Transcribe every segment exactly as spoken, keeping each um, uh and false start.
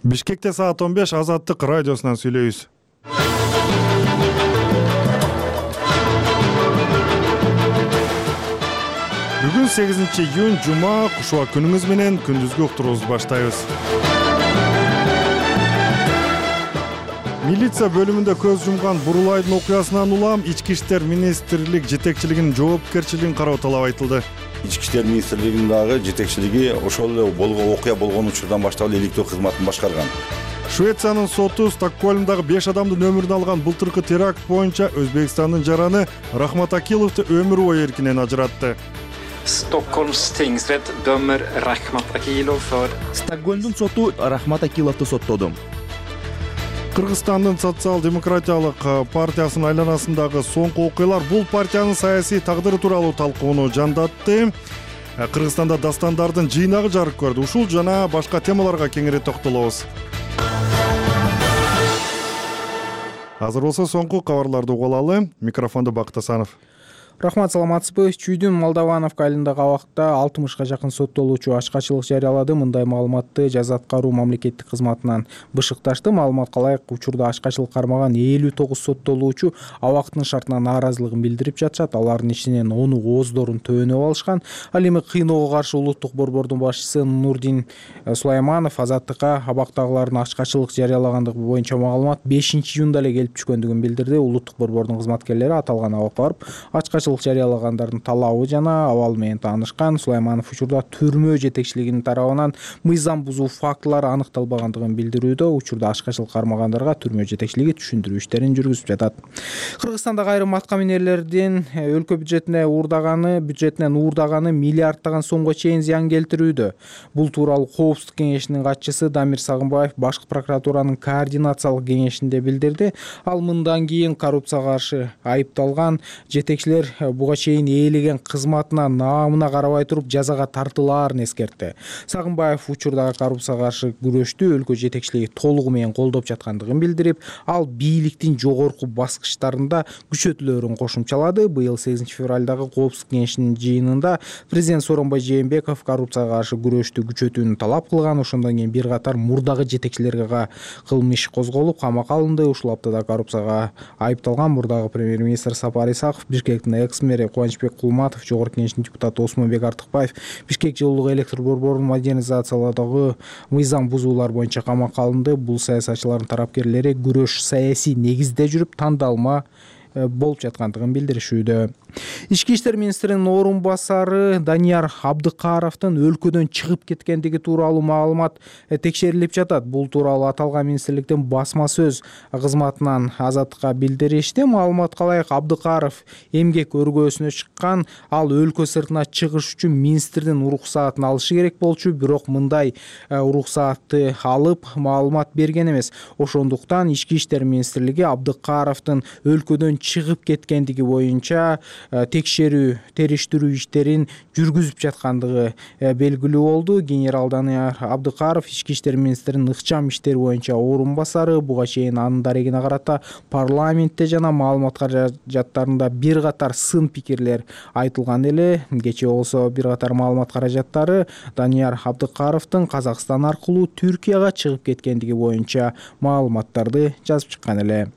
Бишкекте саат он беш Азаттык радиосунан сүйлөйбүз. Бүгүн сегизинчи июнь жума, кушуа күнүңүз менен күндүзгү уктуруубузду баштайбыз. Милиция бөлүмүндө көз жумган Бурулайдын окуясынан улам Ички иштер министрлик жетекчилигинин жоопкерчилигин кароо талап айтылды. Ички иштер министрлигинин дагы жетекчилиги ошол эле болгон окуя болгон учурдан баштап эле иликтөө кызматын башкарган. Швециянын соту Стокгольмдагы беш адамдын өмүрүн алган былтыркы теракт боюнча Өзбекстандын жараны Рахмат Акиловду өмүр бою эркинен ажыратты. Stockholms tingsrätt dömer Rachmat Akilov för Стокгольмдун соту Рахмат Акиловду соттоду. Кыргызстандын социал-демократиялык партиясынын айланасындагы соңку окуялар бул партиянын саясий тагдыры тууралуу талкууну жандатты. Кыргызстанда дастандардын жыйнагы жарык көрдү. Ушул жана башка темаларга кеңири токтолобуз. Азыр болсо соңку кабарларды угуп алалы. Микрофондо Бакыт Асанов. Рахмат, саламатсызбы? Чүйдүн Молдовановка айылындагы абакта алтымышка жакын соттолуучу ачкачылык жарыялады. Мындай маалыматты жаза аткаруу мамлекеттик кызматынан бышыкташты. Маалыматка ылайык, учурда ачкачылык кармаган элүү тогуз соттолуучу абактын шартына нааразылыгын билдирип жатышат. Алардын ичинен ону ооздорун төөнөп алышкан. Ал эми кыйноого каршы улуттук борбордун башчысы Нурдин Сулайманов Азаттыкка абактагылардын ачкачылык жарыялагандыгы боюнча маалымат бешинчи июнда эле келип түшкөндүгүн билдирди. Улуттук борбордун кызматкерлери аталган абакка барып ачкачылык жарыялагандардын талабы жана абалы менен таанышкан. Сулайманов учурда түрмө жетекчилигинин тарабынан мыйзам бузуу фактылары аныкталбагандыгын билдирүүдө. Учурда ачкачылык кармагандарга түрмө жетекчилиги түшүндүрүү иштерин жүргүзүп жатат. Кыргызстандагы айрым атка минерлердин өлкө бюджетине уурдаганы, бюджетинен уурдаганы миллиарддаган сомго чейин зыян келтирүүдө. Бул тууралуу Коопсуздук кеңешинин катчысы Дамир Сагынбаев Башкы прокуратуранын координациялык кеңешинде билдирди. Ал мындан кийин коррупцияга каршы айыпталган жетекчилер буга чейин ээлеген кызматына, наамына карабай туруп жазага тартылаарын эскертти. Сагынбаев учурдагы коррупцияга каршы күрөштү өлкө жетекчилиги толугу менен колдоп жаткандыгын билдирип, ал бийликтин жогорку баскычтарында күчөтүүлөрүн кошумчалады. Быйыл сегизинчи февралдагы Коопсуздук кеңешинин жыйынында президент Сооронбай Жээнбеков коррупцияга каршы күрөштү күчөтүүнү талап кылган. Ошондон кийин бир катар мурдагы жетекчилерге кылмыш козголуп, камакка алынды. Ушул аптада коррупцияга айыпталган мурдагы премьер-министр Сапар Исаков, Бишкектин экс-мэри Кубанычбек Кулматов, Жогорку кеңештин депутаты Осмонбек Артыкбаев Бишкек жылуулук электр борборун модернизациялоодогу мыйзам бузуулар боюнча камакка алынды. Бул саясатчылардын тарапкерлери күрөш саясий негизде жүрүп тандалма болуп жаткандыгын билдиришүүдө. Ички иштер министринин орун басары Данияр Абдыкаровдун өлкөдөн чыгып кеткендиги тууралуу маалымат текшерилип жатат. Бул тууралуу аталган министрликтин басма сөз кызматынан Азаттыкка билдиришти. Маалыматка ылайык, Абдыкаров эмгек өргөөсүнө чыккан. Ал өлкө сыртына чыгыш үчүн министрдин уруксаатын алышы керек болчу, бирок мындай уруксаатты алып маалымат берген эмес. Ошондуктан ички иштер министрлиги Абдыкаровдун өлкөдөн чыгып кеткендиги боюнча текшерүү, териштирүү иштерин жүргүзүп жаткандыгы белгилүү болду. Генерал Данияр Абдыкаров ички иштер министринин ыкчам иштер боюнча орун басары. Буга чейин анын дарегине карата парламентте жана маалымат каражаттарында бир катар сын пикирлер айтылган эле. Кечээ болсо бир катар маалымат каражаттары Данияр Абдыкаровдун Казакстан аркылуу Түркияга чыгып кеткендиги боюнча маалыматтарды жазып чыккан эле.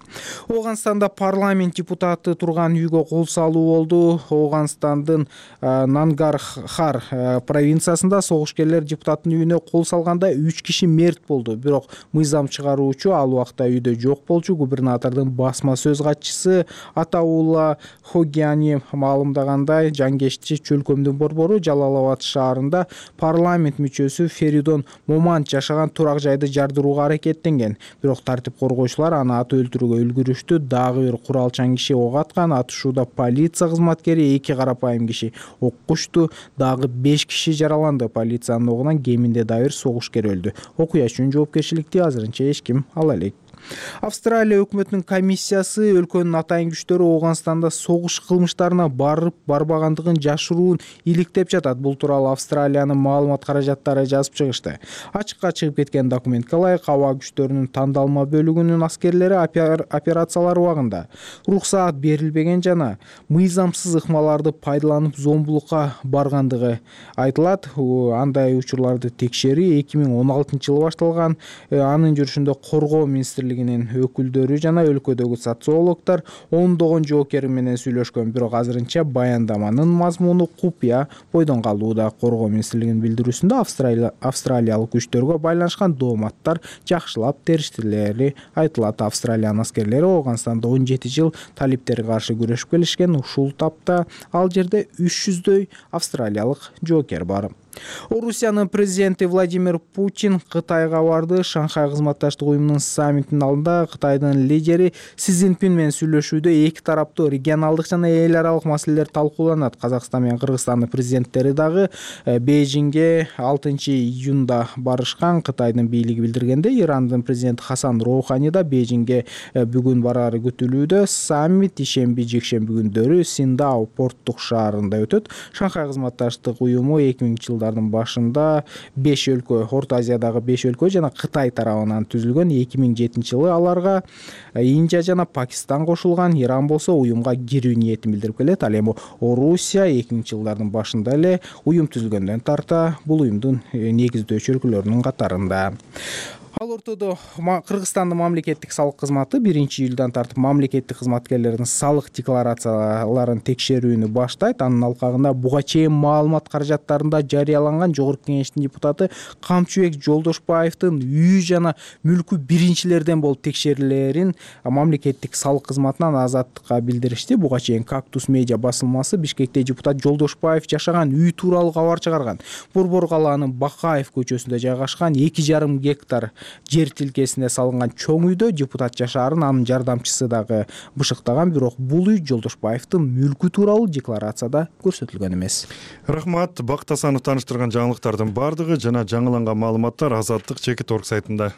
Ооганстанда парламент депутаты турган үйгө кол салуу болду. Ооганстандын Нангархар провинциясында согушкерлер депутаттын үйүнө кол салганда үч киши мерт болду. Бирок мыйзам чыгаруучу ал убакта үйдө жок болчу. Губернатордун басма сөз катчысы Атаула Хогяни маалымдагандай, Жангешти чөлкөмдүн борбору Жалал-Абад шаарында парламент мүчөсү Феридон Момант жашаган турак жайды жардырууга аракеттенген. Бирок тартип коргоочулар аны атып өлтүрүүгө үлгүрүштү. Дагы бир куралчан киши ок аткан. Атышууда полиция кызматкери эки карапайым киши оккучту. Дагы беш киши жараланды. Полициянын огунан кеминде да бир согушкер өлдү. Окуя үчүн жоопкерчиликти азырынча эч ким ала элек. Австралия өкмөтүнүн комиссиясы өлкөнүн атайын күчтөрү Ооганстанда согуш кылмыштарына барып барбагандыгын жашыруун иликтеп жатат. Бул тууралуу Австралиянын маалымат каражаттары жазып чыгышты. Ачыкка чыгып кеткен документке ылайык, аба күчтөрүнүн тандалма бөлүгүнүн аскерлери операциялар убагында уруксаат берилбеген жана мыйзамсыз ыкмаларды пайдаланып зомбулукка баргандыгы айтылат. Андай учурларды текшерүү эки миң он алтынчы жылы башталган. Анын жүрүшүндө коргоо министрлигинин өкүлдөрү жана өлкөдөгү социологдор ондогон жоокер менен сүйлөшкөн, бирок азырынча баяндаманын мазмуну купуя бойдон калууда. Коргоо министрлигинин билдирүүсүндө австралиялык күчтөргө байланышкан дооматтар жакшылап териштилери айтылат. Австралиянын аскерлери Ооганстанда он жети жыл талиптерге каршы күрөшүп келишкен. Ушул тапта ал жерде үч жүздөй австралиялык жоокер бар. Орусиянын президенти Владимир Путин Кытайга барды. Шанхай кызматташтык уюмунун саммитинин алдында Кытайдын лидери Си Цзиньпин менен сүйлөшүүдө эки тараптуу регионалдык жана эл аралык маселелер талкууланат. Казакстан менен Кыргызстандын президенттери дагы Бейжиңге алтынчы июнда барышкан. Кытайдын бийлиги билдиргенде, Ирандын президенти Хасан Роухани да Бейжиңге бүгүн барары күтүлүүдө. Саммит ишемби жекшемби күндөрү Синдао порттук шаарында өтөт. Шанхай кызматташтык уюму эки миңинчи жылдардын башында беш өлкө, Орто Азиядагы беш өлкө жана Кытай тарабынан түзүлгөн. эки миң жетинчи жылы аларга Индия жана Пакистан кошулган. Иран болсо уюмга кирүү ниетин билдирип келет. Ал эми Орусия эки миңинчи жылдардын башында эле уюм түзүлгөндөн тарта бул уюмдун негиздөөчү өлкөлөрүнүн катарында. Ал ортодо Кыргызстандын мамлекеттик салык кызматы биринчи июлдан тартып мамлекеттик кызматкерлердин салык декларацияларын текшерүүнү баштайт. Анын алкагында буга чейин маалымат каражаттарында жарыяланган Жогорку Кеңештин депутаты Камчыбек Жолдошбаевдин үй жана мүлкү биринчилерден болуп текшерилерин мамлекеттик салык кызматынан Азаттыкка билдиришти. Буга чейин Кактус медиа басылмасы Бишкекте депутат Жолдошбаев жашаган үй тууралуу кабар чыгарган. Борбор калаанын Бакаев көчөсүндө жайгашкан эки жарым гектар жер тилкесине салынган чоң үйдө депутат жашаарын анын жардамчысы дагы бышыктаган. Бирок бул үй Жолдошбаевдин мүлкү тууралуу декларацияда көрсөтүлгөн эмес. Рахмат. Бакыт Асанов тааныштырган жаңылыктардын бардыгы жана жаңыланган маалыматтар Азаттык чекит орг сайтында.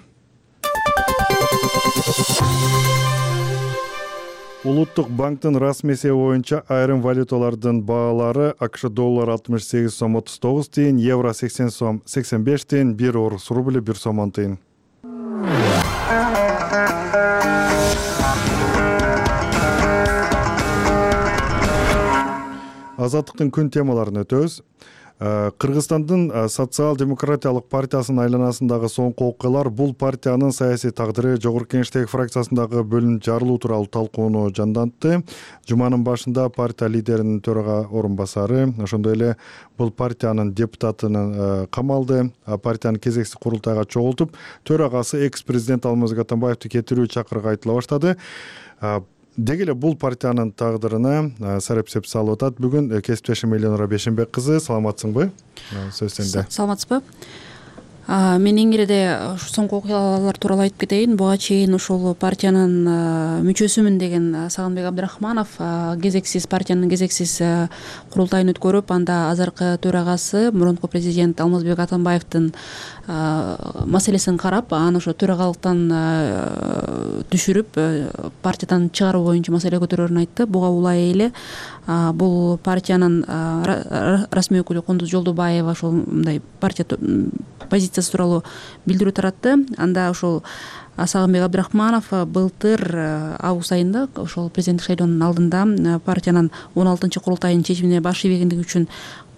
Улуттук банктын расмий эсеби боюнча айрым валюталардын баалары: АКШ доллары алтымыш сегиз сом отуз тогуз тыйын, евро сексен сом сексен беш тыйын, бир орус рубли бир сом он тыйын. Азаттыктын күн темаларын өтөбүз. Кыргызстандын социал-демократиялык партиясынын айланасындагы соңку окуялар бул партиянын саясий тагдыры, Жогорку Кеңештеги фракциясындагы бөлүнүп жарылуу тууралуу талкууну жандантты. Жуманын башында партия лидеринин төрага орун басары, ошондой эле бул партиянын депутатынын камалды. Партиянын кезексиз курултайга чогултуп, төрагасы экс-президент Алмазбек Атамбаевди кетирүү чакырыгы айтыла баштады. Деги эле бул партиянын тагдырына сарапсеп салып атат бүгүн кесиптешим Эленора Бешенбек кызы. Саламатсыңбы? Сөз сенде. Саламатсызбы? Мен эң иреде соңку окуялар тууралуу айтып кетейин. Буга чейин ушул партиянын мүчөсүмүн деген Сагынбек Абдрахманов кезексиз партиянын кезексиз курултайын өткөрүп, анда азыркы төрагасы мурунку президент Алмазбек Атамбаевдин маселесин карап, аны ошо төрагалыктан түшүрүп партиядан чыгаруу боюнча маселе көтөрөрүн айтты. Буга улай эле бул партиянын расмий өкүлү Кундуз Жолдубаева ошол мындай партия позициясы тууралуу билдирүү таратты. Анда ошол Сагынбек Абдрахманов былтыр август айында ошол президенттик шайлоонун алдында партиянын он алтынчы курултайынын чечимине баш ийбегендиги үчүн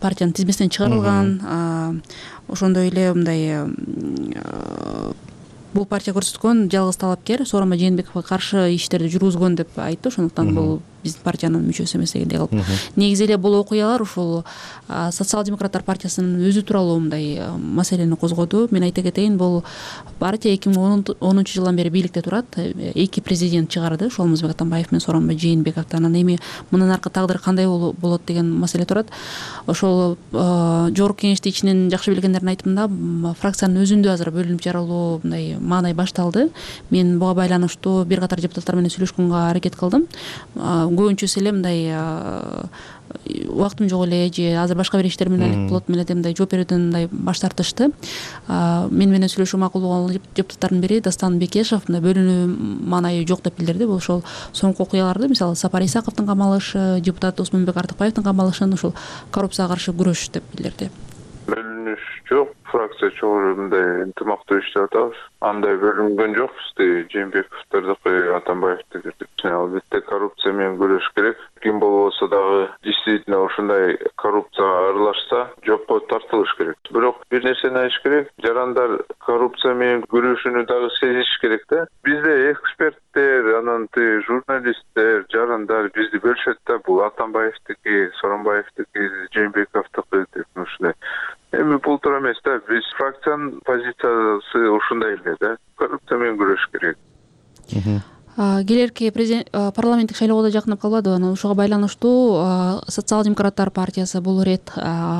партиянын тизмесинен чыгарылган. Ошондой эле мындай бул партия көрсөткөн жалгыз талапкер Сооронбай Жээнбековго каршы иштерди жүргүзгөн деп айтты. Ошондуктан бул биздин партиянын мүчөсү эмес дегендей кылып. Негизи эле бул окуялар ушул социал-демократтар партиясынын өзү тууралуу мындай маселени козгоду. Мен айта кетейин, бул партия эки миң онунчу жылдан бери бийликте турат. Эки президент чыгарды, ошол Алмазбек Атамбаев менен Сооронбай Жээнбеков. Анан эми мындан аркы тагдыр кандай болот деген маселе турат. Ошол Жогорку Кеңешти ичинен жакшы билгендердин айтымында фракциянын өзүндө азыр бөлүнүп жарылуу мындай маанай башталды. Мен буга байланыштуу бир катар депутаттар менен сүйлөшкөнгө аракет кылдым. Көбүнчөсү эле мындай убактым жок эле же азыр башка бир иштер менен алек болот эле деп мындай жооп берүүдөн мындай баш тартышты. Мен менен сүйлөшүү макул болгон депутаттардын бири Дастан Бекешев мындай бөлүнүү маанайы жок деп билдирди. Бул ошол соңку окуяларды, мисалы Сапар Исаковдун камалышы, депутат Осмонбек Артыкбаевдин камалышын ошол коррупцияга каршы күрөш деп билдирди. Бөлүнүш жок, фракция чогуу мындай ынтымактуу иштеп атабыз. Андай бөлүнгөн жок бизде Жээнбековдордуку, Атамбаевдики. Албетте коррупция менен күрөш керек. Ким болбосо дагы действительно ушундай коррупцияга аралашса, жокко тартылыш керек. Бирок бир нерсени айтыш керек, жарандар коррупция менен күрөшүүнү дагы сезиш керек да. Бизде эксперттер, анан журналисттер, жарандар бизди бөлүшөт да. Бул Атамбаевдики, Сооронбаевдики, Жээнбековдуку деп ушундай. Эми бул туура эмес да. Биз фракциянын позициясы ушундай эле да. Коррупция менен күрөш керек. Келерки президент парламенттик шайлоого да жакындап калбадыбы? Анан ошого байланыштуу социал-демократтар партиясы бул ирет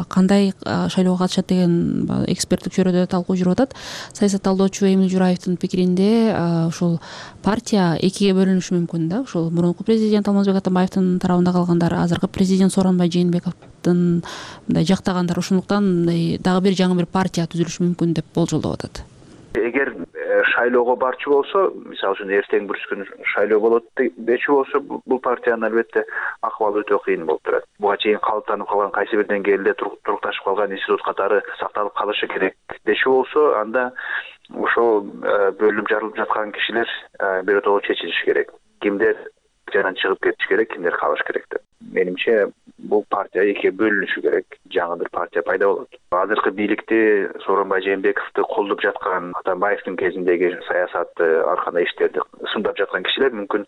кандай шайлоого катышат деген эксперттик чөйрөдө талкуу жүрүп атат. Саясат талдоочу Эмил Жураевдин пикиринде ушул партия экиге бөлүнүшү мүмкүн да. Ушул мурунку президент Алмазбек Атамбаевдин тарабында калгандар, азыркы президент Сооронбай Жээнбековдун мындай жактагандар, ошондуктан мындай дагы бир жаңы бир партия түзүлүшү мүмкүн деп болжолдоп атат. Эгер шайлоого барчу болсо, мисалы үчүн эртең бүрүс күнү шайлоо болот дечү болсо, бул партиянын албетте акыбалы өтө кыйын болуп турат. Буга чейин калыптанып калган кайсы бир деңгээлде турукташып калган институт катары сакталып калышы керек дечү болсо, анда ошол бөлүнүп жарылып жаткан кишилер биротоло чечилиши керек. Кимдер жана чыгып кетиш керек, кимдер калыш керек деп. Менимче бул партия экиге бөлүнүшү керек, жаңы бир партия пайда болот. Азыркы бийликти Сооронбай Жээнбековду колдоп жаткан, Атамбаевдин кезиндеги саясатты, ар кандай иштерди сындап жаткан кишилер мүмкүн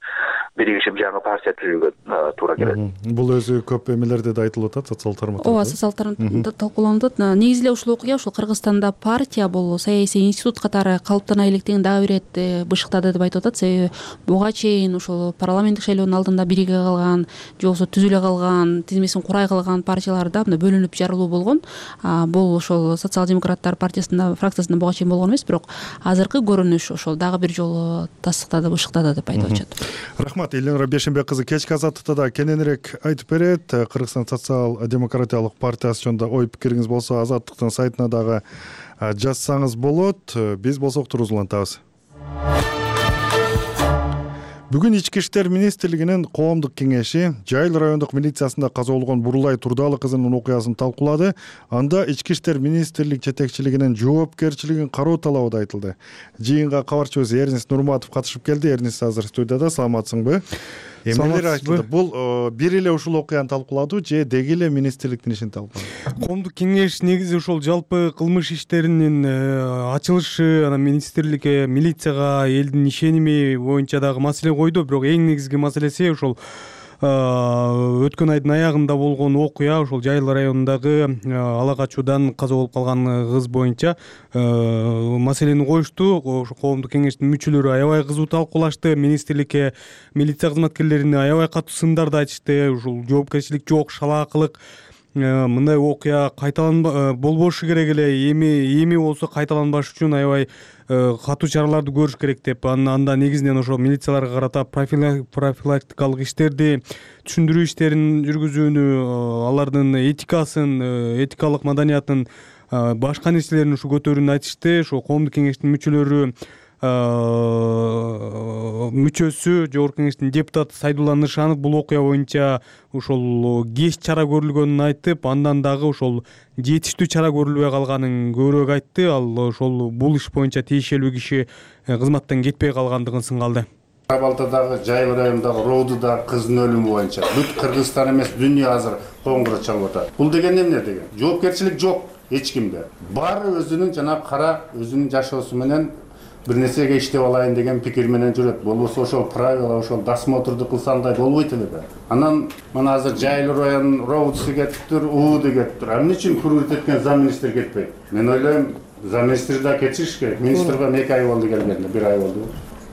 биригишип жаңы партия түзүүгө туура келет. Бул өзү көп эмелерде да айтылып атат, социал тармакта. Ооба, социал тармакта талкууланып атат. Негизи эле ушул окуя ушул Кыргызстанда партия бул саясий институт катары калыптана электигин дагы бир ирет бышыктады деп айтып атат. Себеби буга чейин ушул парламенттик шайлоонун алдында бириге калган, же болбосо түзүлө калган, тизмесин курай калган партияларда мындай бөлүнүп жарылуу болгон. Бул ошол социал-демократтар партиясында, фракциясында буга чейин болгон эмес, бирок азыркы көрүнүш ошол дагы бир жолу тастыктады, бышыктады деп айтып атышат. Рахмат. Элнура Бешенбек кызы кечки азаттыкта да кененирээк айтып берет. Кыргызстан социал-демократиялык партиясы жөнүндө ой пикириңиз болсо азаттыктын сайтына дагы жазсаңыз болот. Биз болсо уктуруусулантабыз. Бүгүн Ички иштер министрлигинин коомдук кеңеши Жайыл райондук милициясында каза болгон Бурулай Турдалы кызынын окуясын талкуулады. Анда Ички иштер министрлик жетекчилигинин жоопкерчилигин кароо талабы да айтылды. Жыйынга кабарчыбыз Эрнис Нурматов катышып келди. Эрнис азыр студияда. Саламатсыңбы? Эмнелер айтылды? Бул бир эле ушул окуяны талкууладыбы же деги эле министрликтин ишин талкуулады? Коомдук кеңеш негизи ошол жалпы кылмыш иштеринин ачылышы, анан министрликке, милицияга элдин ишеними боюнча дагы маселе койду. Бирок эң негизги маселеси ошол өткөн айдын аягында болгон окуя, ошол Жайыл районундагы ала качуудан каза болуп калган кыз боюнча маселени коюшту. Ошо коомдук кеңештин мүчөлөрү аябай кызуу талкуулашты. Министрликке, милиция кызматкерлерине аябай катуу сындарды айтышты. Ушул жоопкерчилик жок, шалаакылык, мындай окуя кайталанба болбошу керек эле, эми эми болсо кайталанбаш үчүн аябай катуу чараларды көрүш керек деп. Анда негизинен ошо милицияларга карата профилактикалык иштерди, түшүндүрүү иштерин жүргүзүүнү, алардын этикасын, этикалык маданиятын, башка нерселерин ушу көтөрүүнү айтышты. Ошо коомдук кеңештин мүчөлөрү мүчөсү, жогорку кеңештин депутаты Сайдулла Нышанов бул окуя боюнча ошол кеч чара көрүлгөнүн айтып, андан дагы ошол жетиштүү чара көрүлбөй калганын көбүрөөк айтты. Ал ошол бул иш боюнча тиешелүү киши кызматтан кетпей калгандыгын сынгалды. Балтадагы Жайыл районундагы Роудуда кыздын өлүмү боюнча бүт Кыргызстан эмес, дүйнө азыр коңгуроо чалып атат. Бул деген эмне деген? Жоопкерчилик жок эч кимде. Баары өзүнүн жана кара өзүнүн жашоосу менен бир нерсеге иштеп алайын деген пикир менен жүрөт. Болбосо ошол правила, ошол досмотрду кылса андай болбойт эле да. Анан мына азыр Жайыл район Роудусы кетиптир, УУДу кетиптир. А эмне үчүн курулт эткен замминистр кетпейт? Мен ойлойм, замминистр да кетишиш керек. Министрге эки ай болду келгенде, бир ай болду.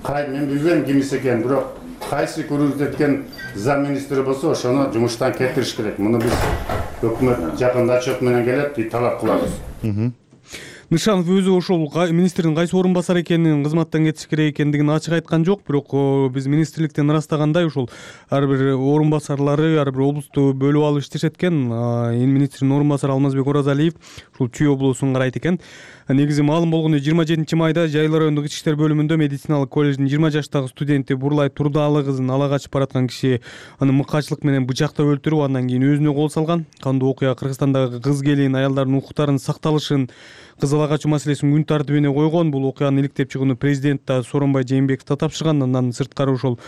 Кай, мен билбейм кимис экенин, бирок кайсы курулт эткен замминистр болсо ошону жумуштан кетириш керек. Муну биз өкмөт жакында отчет менен келет, талап кылабыз. Нышанов өзү ошол министрдин кайсы орун басары экенин, кызматтан кетиш керек экендигин ачык айткан жок, бирок биз министрликтен ырастагандай ошол ар бир орун басарлары ар бир облусту бөлүп алып иштешет экен. Эми министрдин орун басары Алмазбек Оразалиев ушул Чүй облусун карайт экен. Негизи маалым болгондой жыйырма жетинчи майда Жайыл райондук ички иштер бөлүмүндө медициналык колледждин жыйырма жаштагы студенти Бурлай Турдаалы кызын ала качып бараткан киши аны мыкаачылык менен бычактап өлтүрүп, андан кийин өзүнө кол салган. Кандуу окуя Кыргызстандагы кыз келин аялдардын укуктарынын сакталышын, кыз ала качуу маселесин күн тартибине койгон. Бул окуянын иликтеп чыгууну президент да Сооронбай Жээнбеков да тапшырган. Андан сырткары ошол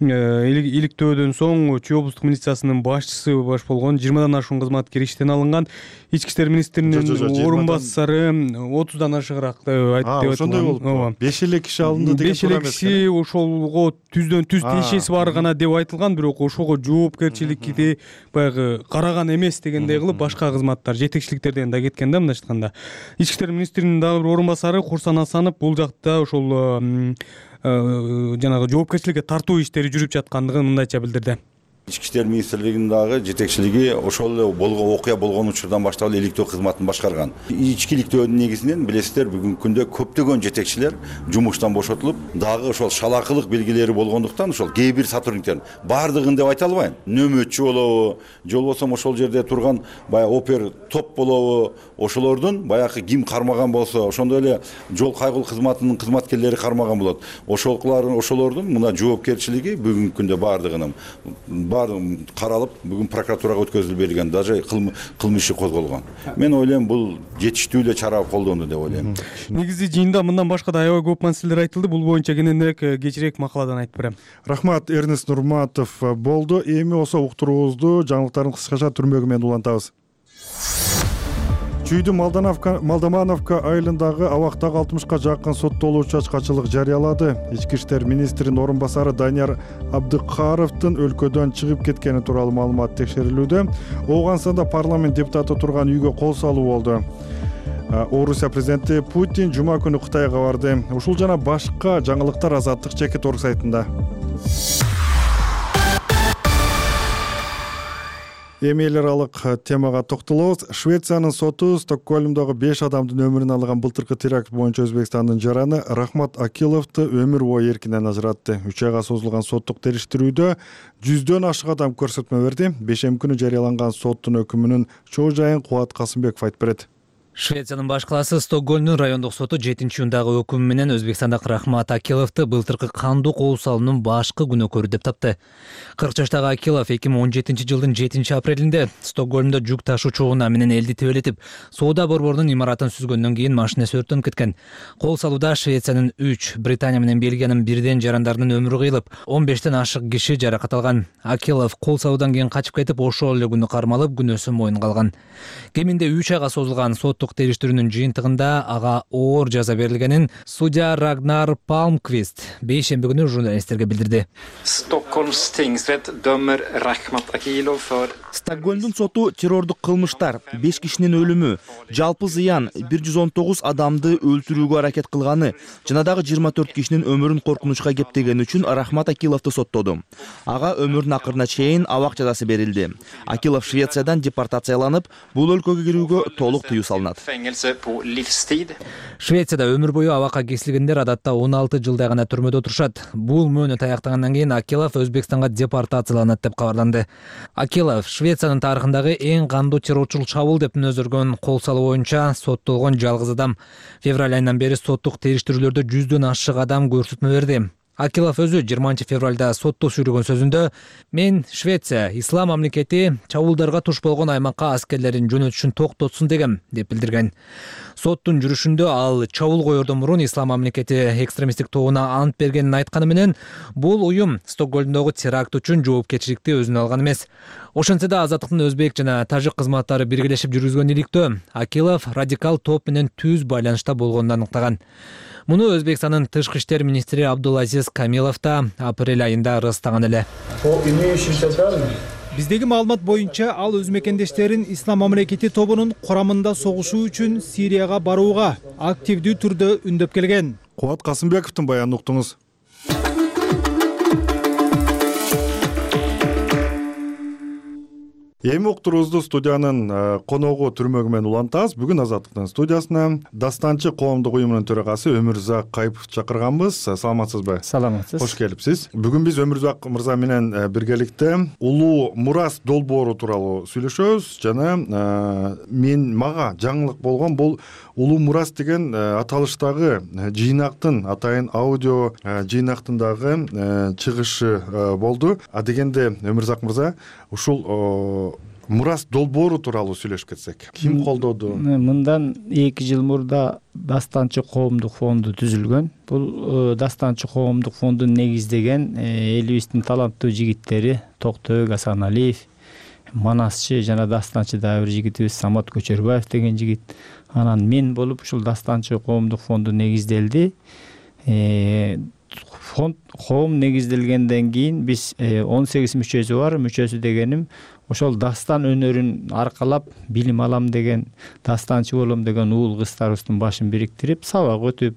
иликтөөдөн соң Чүй облустук милициясынын башчысы баш болгон жыйырмадан ашуун кызматкер иштен алынган. Ички иштер министринин орун басары отуздан ашыгыраак деп айтты. Ошондой болуп беш эле киши алынды деген. беш эле киши ошолго түздөн түз тиешеси бар гана деп айтылган, бирок ошого жоопкерчиликти баягы караган эмес дегендей кылып башка кызматтар, жетекчиликтерден да кеткен да. Мындайча айтканда ички иштер министринин дагы бир орун басары Курсан Асанов бул жакта ошол жанагы жоопкерчиликке тартуу иштери жүрүп жаткандыгын мындайча билдирди. Ички иштер министрлигинин дагы жетекчилиги ошол эле болгон окуя болгон учурдан баштап эле иликтөө кызматын башкарган. Ички иликтөөнүн негизинен билесиздер, бүгүнкү күндө көптөгөн жетекчилер жумуштан бошотулуп, дагы ошол шалакылык белгилери болгондуктан ошол кээ бир сотрудниктердин баардыгын деп айта албайм. Нөмөтчү болобу, же болбосо ошол жерде турган баягы опер топ болобу, ошолордун баягы ким кармаган болсо, ошондой эле жол кайгылуу кызматынын кызматкерлери кармаган болот. Ошолордун ошолордун мына жоопкерчилиги бүгүнкү күндө баардыгынын баары каралып, бүгүн прокуратурага өткөзүлүп берилген, даже кылмыш иши козголгон. Мен ойлойм, бул жетиштүү эле чара колдонду деп ойлойм. Негизи жыйында мындан башка да аябай көп маселелер айтылды. Бул боюнча кененирээк кечирээк макаладан айтып берем. Рахмат, Эрнест Нурматов болду. Эми болсо уктуруубузду жаңылыктарын кыскача түрмөгү менен улантабыз. Чүйдүн Малдамановка айылындагы абактагы алтымышка жакын соттолуучу ачкачылык жарыялады. Ички иштер министринин орун басары Данияр Абдыкаровдун өлкөдөн чыгып кеткени тууралуу маалымат текшерилүүдө. Ооганстанда парламент депутаты турган үйгө кол салуу болду. Орусия президенти Путин жума күнү Кытайга барды. Ушул жана башка жаңылыктар Азаттык чекит орг сайтында. Эми эл аралык темага токтолобуз. Швециянын соту Стокгольмдогу беш адамдын өмүрүн алган былтыркы теракт боюнча Өзбекстандын жараны Рахмат Акиловду өмүр бою эркинен ажыратты. үч айга созулган соттук териштирүүдө жүздөн ашык адам көрсөтмө берди. Бешемби күнү жарыяланган соттун өкүмүнүн чоо жайын Кубат Касымбеков айтып берет. Швециянын баш калаасы Стокгольмдун райондук соту жетинчи июндагы өкүмү менен Өзбекстандык Рахмат Акиловду былтыркы кандуу кол салуунун башкы күнөөкөрү деп тапты. кырк жаштагы Акилов эки миң он жетинчи жылдын жетинчи апрелинде Стокгольмдо жүк ташуучу унаа менен элди тебелетип, соода борборунун имаратын сүзгөндөн кийин машинеси өрттөнүп кеткен. Кол салууда Швециянын үч, Британия менен Бельгиянын бирден жарандарынын өмүрү кыйылып, он бештен ашык киши жаракат алган. Акилов кол салуудан кийин качып кетип, ошол эле күнү кармалып, күнөөсүн мойнунга алган. Кеминде үч айга созулган сот териштирүүнүн жыйынтыгында ага оор жаза берилгенин судья Рагнар Палмквист бейшемби күнү журналисттерге билдирди. Stockholms tingsrätt dömer Rachmat Akilov för Стокгольмдун соту террордук кылмыштар, беш кишинин өлүмү, жалпы зыян бир жүз он тогуз адамды өлтүрүүгө аракет кылганы жана дагы жыйырма төрт кишинин өмүрүн коркунучка кептегени үчүн Рахмат Акиловду соттоду. Ага өмүрүнүн акырына чейин абак жазасы берилди. Акилов Швециядан депортацияланып, бул өлкөгө кирүүгө толук тыюу салынат. Швецияда өмүр бою абакка кесилгендер адатта он алты жылдай гана түрмөдө отурушат. Бул мөөнөт аяктагандан кийин Акилов Өзбекстанга депортацияланат деп кабарланды. Акилов Швециянын тарыхындагы эң кандуу террорчулук чабуул деп мүнөздөргөн кол салуу боюнча соттолгон жалгыз адам. Февраль айынан бери соттук териштирүүлөрдө жүздөн ашык адам көрсөтмө берди. Акилов өзү жыйырманчы февралда сотто сүйлөгөн сөзүндө «Мен Швеция ислам мамлекети чабуулдарга туш болгон аймакка аскерлерин жөнөтүшүн токтотсун дегем» деп билдирген. Соттун жүрүшүндө ал чабуул коердон мурун ислам мамлекети экстремисттик тобуна ант бергенин айтканы менен, бул уюм Стокгольмдогу теракт үчүн жоопкерчиликти өзүнө алган эмес. Ошентсе да Азаттыктын өзбек жана тажик кызматтары биргелешип жүргүзгөн иликтөө Акилов радикал топ менен түз байланышта болгонун аныктаган. Муну Өзбекстандын тышкы иштер министри Абдулазиз Камилов да апрель айында ырастаган эле. Биздеги маалымат боюнча ал өз мекендештерин ислам мамлекети тобунун курамында согушуу үчүн Сирияга барууга активдүү түрдө үндөп келген. Кубат Касымбековдун баянын уктуңуз. эми уктуруубузду студиянын коногу түрмөгү менен улантабыз. Бүгүн Азаттыктын студиясына дастанчы коомдук уюмунун төрагасы Өмүрзак Кайыпов чакырганбыз. Саламатсызбы? Саламатсыз. Кош келипсиз. Бүгүн биз Өмүрзак мырза менен биргеликте улуу мурас долбоору тууралуу сүйлөшөбүз жана мен мага жаңылык болгон бул улуу мурас деген аталыштагы жыйнактын атайын аудио жыйнактын дагы чыгышы болду. А дегенде Өмүрзак мырза ушул мурас долбоору тууралуу сүйлөшүп кетсек. Ким колдоду? Мындан эки жыл мурда Дастанчы коомдук фонду түзүлгөн. Бул Дастанчы коомдук фондун негиздеген элибиздин таланттуу жигиттери Токтобек Асаналиев, Манасчы жана дастанчы дагы бир жигитибиз Самат Көчөрбаев деген жигит. Анан мен болуп ушул Дастанчы коомдук фонду негизделди. Фонд коом негизделгенден кийин биз он сегиз мүчөсү бар. Мүчөсү дегеним ошол дастан өнөрүн аркалап билим алам деген, дастанчы болом деген уул кыздарыбыздын башын бириктирип, сабак өтүп,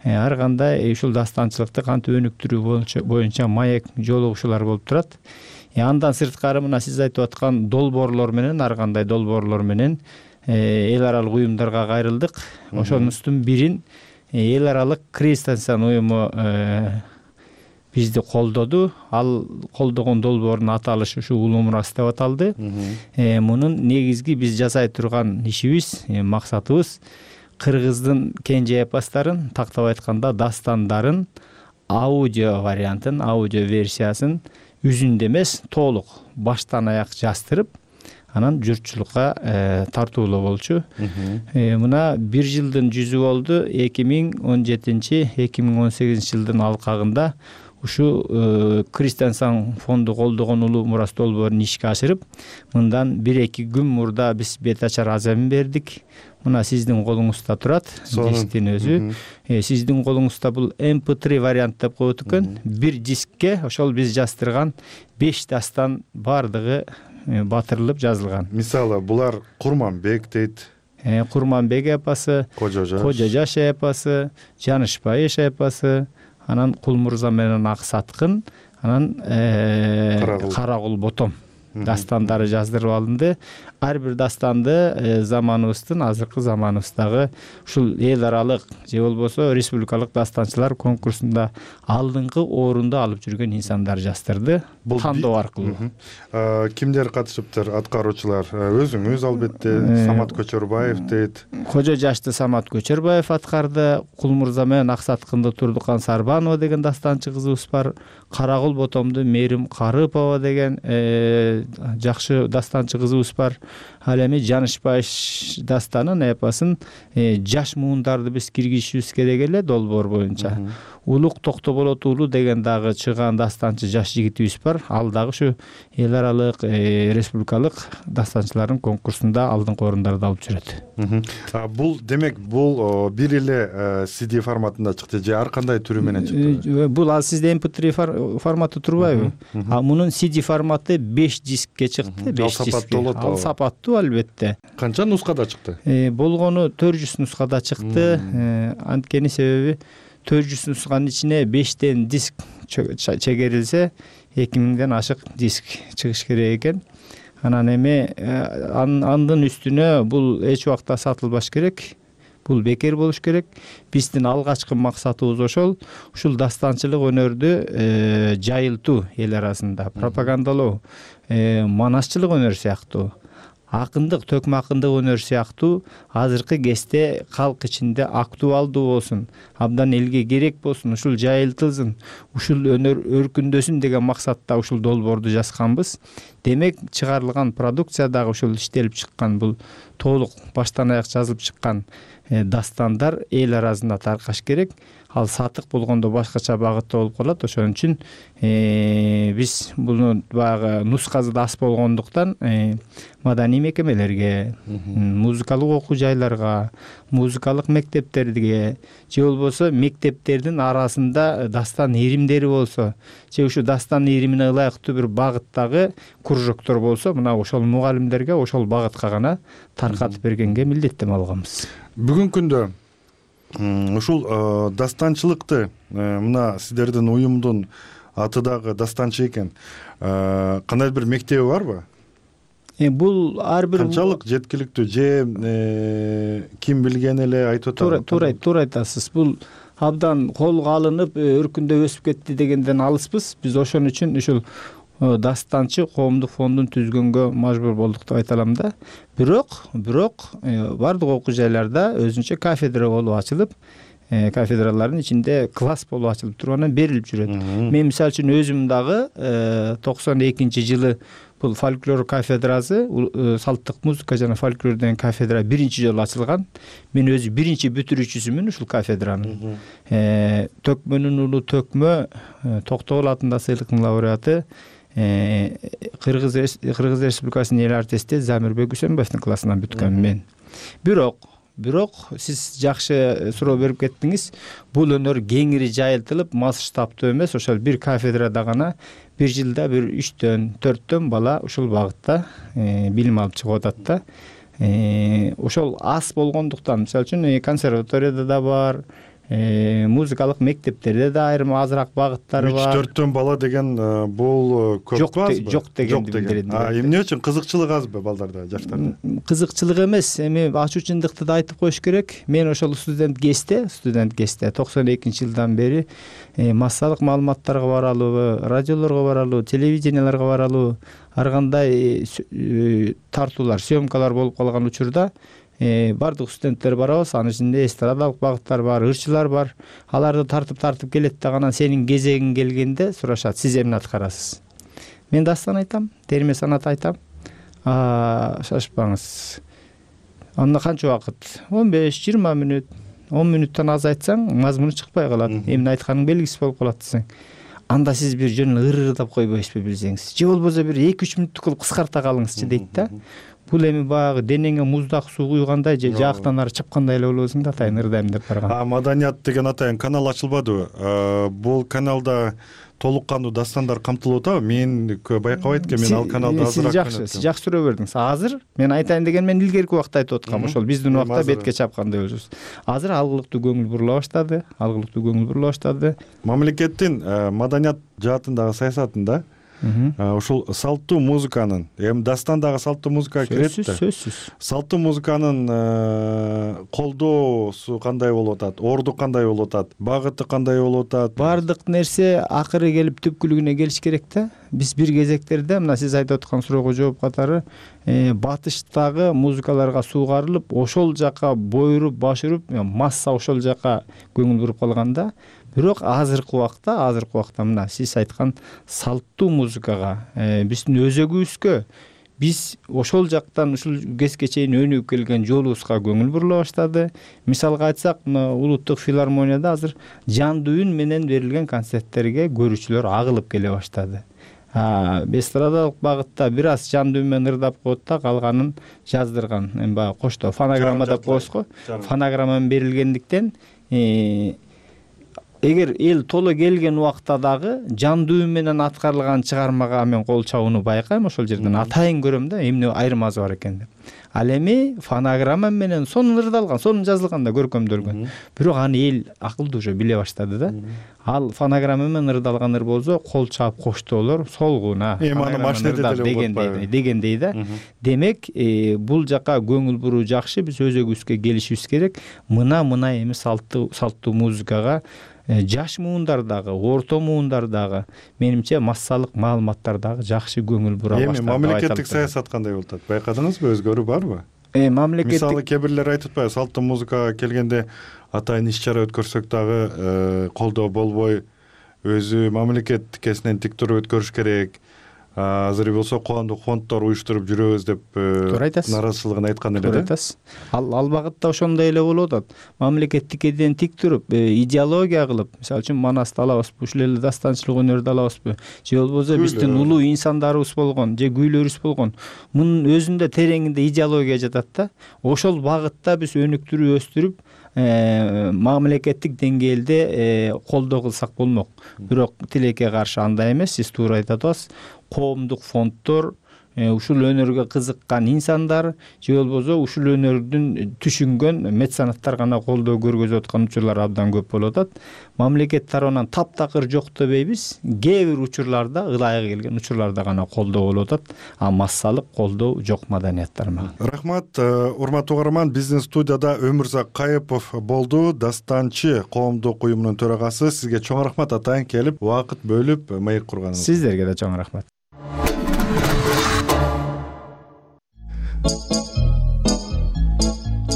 ар кандай ушул дастанчылыкты кантип өнүктүрүү боюнча маек жолугушуулар болуп турат. Андан сырткары мына сиз айтып аткан долбоорлор менен, ар кандай долбоорлор менен эл аралык уюмдарга кайрылдык. Ошонун бирин эл аралык Кристиан уюму бизди колдоду. Ал колдогон долбоордун аталышы ушу улуу мурас деп аталды. Мунун негизги биз жасай турган ишибиз, максатыбыз кыргыздын кенже эпостарын, тактап айтканда дастандарын аудио вариантын, аудио версиясын үзүндө эмес, толук баштан аяк жаздырып, анан журтчулукка тартуулоо болчу. Мына бир жылдын жүзү болду. эки миң он жетинчи эки миң он сегизинчи жылдын алкагында ушу Кристиан фонду колдогон улуу мурас долбоорун ишке ашырып, мындан бир эки күн мурда биз бет ачар аземин бердик. Мына сиздин колуңузда турат, дисктин өзү. Сиздин колуңузда бул эм пэ три вариант деп коет экен. Бир дискке ошол биз жаздырган беш дастан бардыгы батырылып жазылган. Мисалы, булар Курманбек дейт. Курманбек эпосы, Кожо жаш эпосы, Жанышбайыш эпосы, анан Кулмурза менен Ак Саткын, анан Карагул Ботом дастандары жаздырып алынды. Ар бир дастанды заманыбыздын, азыркы заманыбыздагы ушул эл аралык же болбосо республикалык дастанчылар конкурсунда алдыңкы орунду алып жүргөн инсандар жаздырды, тандоо аркылуу. Кимдер катышыптыр? Аткаруучулар өзүңүз албетте, Самат Көчөрбаев дейт. Кожо жашты Самат Көчөрбаев аткарды. Кулмурза менен Ак Саткынды Турдукан Сарбанова деген дастанчы кызыбыз бар. Карагул Ботомду Мерим Карыпова деген жакшы дастанчы кызыбыз бар. Ал эми Жанышбайыш дастанын эпосын жаш муундарды биз киргизишибиз керек эле долбоор боюнча. Улук Токтоболот уулу деген дагы чыган дастанчы жаш жигитибиз бар. Ал дагы ушу эл аралык республикалык дастанчылардын конкурсунда алдыңкы орундарды алып жүрөт. Бул демек бул бир эле си ди форматында чыкты же ар кандай түрү менен чыкты? Бул ал сизде эм пэ три форматы турбайбы? А мунун си ди форматы беш дискке чыкты, беш дискке. Ал сапаттуу албетте. Канча нускада чыкты? Болгону төрт жүз нускада чыкты. Анткени себеби төрт жүз нусканын ичине бештен диск чегерилсе, эки миңден ашык диск чыгыш керек экен. Анан эми андын үстүнө бул эч убакта сатылбаш керек. Бул бекер болуш керек. Биздин алгачкы максатыбыз ошол. Ушул дастанчылык өнөрдү жайылтуу эл арасында, пропагандалоо, манасчылык өнөр сыяктуу, акындык, төкмө акындык өнөр сыяктуу азыркы кезде калк ичинде актуалдуу болсун, абдан элге керек болсун, ушул жайылтылсын, ушул өнөр өркүндөсүн деген максатта ушул долбоорду жазганбыз. Демек, чыгарылган продукция дагы ушул иштелип чыккан, бул толук баштан аяк жазылып чыккан дастандар эл арасында таркаш керек. Ал сатык болгондо башкача багытта болуп калат. Ошон үчүн биз буну баягы нускасы да аз болгондуктан маданий мекемелерге, музыкалык окуу жайларга, музыкалык мектептерге, же болбосо мектептердин арасында дастан иримдери болсо, же ушу дастан иримине ылайыктуу бир багыттагы кружоктор болсо, мына ошол мугалимдерге ошол багытка гана таркатып бергенге милдеттенме алганбыз. Бүгүнкү күндө ушул дастанчылыкты, мына сиздердин уюмдун аты дагы дастанчы экен, кандай бир мектеби барбы? бул ар бир канчалык жеткиликтүү же ким билген эле айтып атат? Туура туура айтасыз. Бул абдан колго алынып өркүндөп өсүп кетти дегенден алыспыз. Биз ошон үчүн ушул дастанчы коомдук фондун түзгөнгө мажбур болдук деп айта алам да. Бирок, бирок бардык окуу жайларда өзүнчө кафедра болуп ачылып, кафедралардын ичинде класс болуп ачылып тургандан берилип жүрөт. Мен мисалы үчүн өзүм дагы токсон экинчи жылы бул фольклор кафедрасы, салттык музыка жана фольклор деген кафедра биринчи жолу ачылган. Мен өзү биринчи бүтүрүүчүсүмүн ушул кафедранын. Төкмөнүн уулу Төкмө, Токтогул атында сыйлыктын лауреаты, Кыргыз Кыргыз Республикасынын эл артисти Замирбек Үсөнбаевдин классынан бүткөм мен. Бирок Бирок сиз жакшы суроо берип кеттиңиз. Бул өнөр кеңири жайылтылып, масштабтуу эмес, ошол бир кафедрада гана бир жылда бир үчтөн, төрттөн бала ушул багытта билим алып чыгып атат да. Ошол аз болгондуктан, мисалы үчүн консерваторияда да бар, музыкалык мектептерде да айрым азыраак багыттары бар. үч төрттөн бала деген бул көп азбы? Жок дегенди билдирет. Эмне үчүн кызыкчылык азбы балдарда, жаштарда? Кызыкчылык эмес, эми ачуучундукты да айтып коюш керек. Мен ошол студент кезде, студент кезде токсон экинчи жылдан бери массалык маалыматтарга баралуу, радиолорго баралуу, телевиденияларга баралуу, ар кандай тартуулар, съемкалар болуп калган учурда бардык студенттер барабыз, анын ичинде эстрадалык багыттар бар, ырчылар бар. Аларды тартып-тартып келет да анан сенин кезегиң келгенде сурашат, сиз эмне аткарасыз? Мен дастан айтам, терме санат айтам. Шашпаңыз. Анда канча убакыт? он беш жыйырма мүнөт, он мүнөттөн аз айтсаң, мазмуну чыкпай калат. Эмне айтканың белгисиз болуп калат десең. Анда сиз бир жөн эле ырырдап койбойсузбу билсеңиз. Же болбосо бир эки үч мүнөттүк кылып кыскарта калыңызчы дейт да. Бул эми баягы денеңе муздак суу куйгандай же жактан ары чапкандай эле болосуң да, атайын ырдайм деп барган. А маданият деген атайын канал ачылбадыбы? Бул каналда толук кандуу дастандар камтылып атабы? Мен байкабайт экен, мен ал каналда азыраак жакшы, сиз жакшы суроо бердиңиз. Азыр мен айтайын деген мен илгерки убакта айтып аткам, ошол биздин убакта бетке чапкандай болчубуз. Азыр алгылыктуу көңүл бурула баштады, алгылыктуу көңүл бурула баштады. Мамлекеттин маданият жаатындагы саясатында ушул салттуу музыканын, эми дастандагы салттуу музыкага кирет да. Сөзсүз. Салттуу музыканын колдоосу кандай болуп атат? Орду кандай болуп атат? Багыты кандай болуп атат? Бардык нерсе акыры келип түпкүлүгүнө келиш керек да. Биз бир кезектерде мына сиз айтып аткан суроого жооп катары батыштагы музыкаларга суугарылып, ошол жака бойруп, баш уруп, масса ошол жака көңүл буруп калганда, бирок азыркы убакта, азыркы убакта мына сиз айткан салттуу музыкага, биздин өзөгүбүзгө, биз ошол жактан ушул кезге чейин өнүгүп келген жолубузга көңүл бурула баштады. Мисалга айтсак, мына улуттук филармонияда азыр жандуу үн менен берилген концерттерге көрүүчүлөр агылып келе баштады. Эстрадалык багытта бир аз жандуу үн менен ырдап коет да, калганын жаздырган. Эми баягы кошто фонограмма деп коебуз го. Фонограмма берилгендиктен эгер эл толо келген убакта дагы жандуу үн менен аткарылган чыгармага мен кол чабууну байкайм, ошол жерден атайын көрөм да, эмне айырмасы бар экен деп. Ал эми фонограмма менен сонун ырдалган, сонун жазылган да, көркөмдөлгөн. Бирок аны эл акылдуу уже биле баштады да. Ал фонограмма менен ырдалган ыр болсо, кол чаап коштоолор солгуна. Эми аны машинеде деле болот дегендей да. Демек, бул жака көңүл буруу жакшы, биз өзөгүбүзгө келишибиз керек. Мына мына эми салттуу салттуу музыкага жаш муундардагы, орто муундардагы, менимче массалык маалыматтардагы жакшы көңүл бура баштады. Эми мамлекеттик саясат кандай болуп атат? Байкадыңызбы, өзгөрүү барбы? Э, мамлекеттик мисалы кээ бирлер айтып атпайбы, салттуу музыкага келгенде атайын иш-чара өткөрсөк дагы колдоо болбой, өзү мамлекет тикесинен тик туруп өткөрүш керек. Азыр болсо коомдук фонддор уюштуруп жүрөбүз деп нааразычылыгын айткан эле да. Ал ал багытта ошондой эле болуп атат. Мамлекет тикеден тик туруп, идеология кылып, мисалы үчүн Манасты алабызбы, ушул эле дастанчылык өнөрдү алабызбы, же болбосо биздин улуу инсандарыбыз болгон, же күүлөрүбүз болгон, мунун өзүндө тереңинде идеология жатат да. Ошол багытта биз өнүктүрүп, өстүрүп, мамлекеттик деңгээлде колдоо кылсак болмок. Бирок тилекке каршы андай эмес, сиз туура айтып атасыз. Коомдук фонддор, ушул өнөргө кызыккан инсандар же болбосо ушул өнөрдүн түшүнгөн меценаттар гана колдоо көргөзүп аткан учурлар абдан көп болуп атат. Мамлекет тарабынан таптакыр жок дебейбиз, кээ бир учурларда ылайык келген учурларда гана колдоо болуп атат, а массалык колдоо жок маданият тармагы. Рахмат, урматтуу угарман, биздин студияда Өмүрзак Кайыпов болду, Дастанчы коомдук уюмунун төрагасы. Сизге чоң рахмат атайын, келип убакыт бөлүп маек курганыңызга. Сиздерге да чоң рахмат.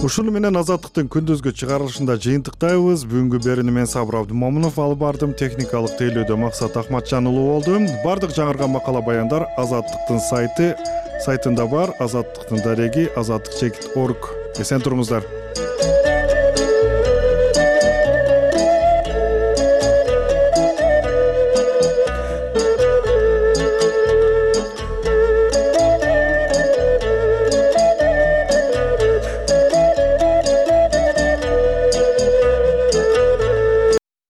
Ушуну менен Азаттыктын күндүзгү чыгарылышында жыйынтыктайбыз. Бүгүнкү берүүнү мен Сабыр Абдымомунов алып бардым. Техникалык тейлөөдө Максат Ахматжан уулу болду. Бардык жаңырган макала баяндар Азаттыктын сайты сайтында бар. Азаттыктын дареги азаттык чекит орг. Эсен туруңуздар.